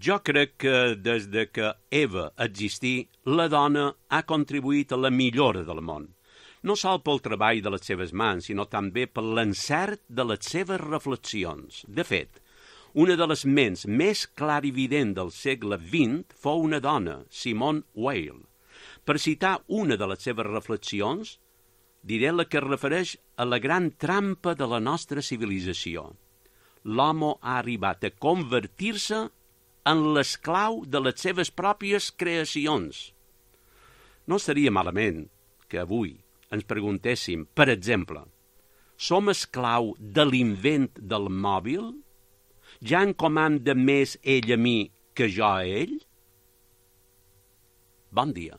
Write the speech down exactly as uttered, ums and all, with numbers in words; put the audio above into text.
Jo crec que des de que Eva existí, la dona ha contribuït a la millora del món. No sol pel treball de les seves mans, sinó també per l'encert de les seves reflexions. De fet, una de les ments més clarivident del segle vint fou una dona, Simone Weil. Per citar una de les seves reflexions, diré la que es refereix a la gran trampa de la nostra civilització. L'home ha arribat a convertir-se en l'esclau de les seves pròpies creacions. No seria malament que avui ens preguntéssim, per exemple, som esclau de l'invent del mòbil? Ja em comanda més ell a mi que jo a ell? Bon dia.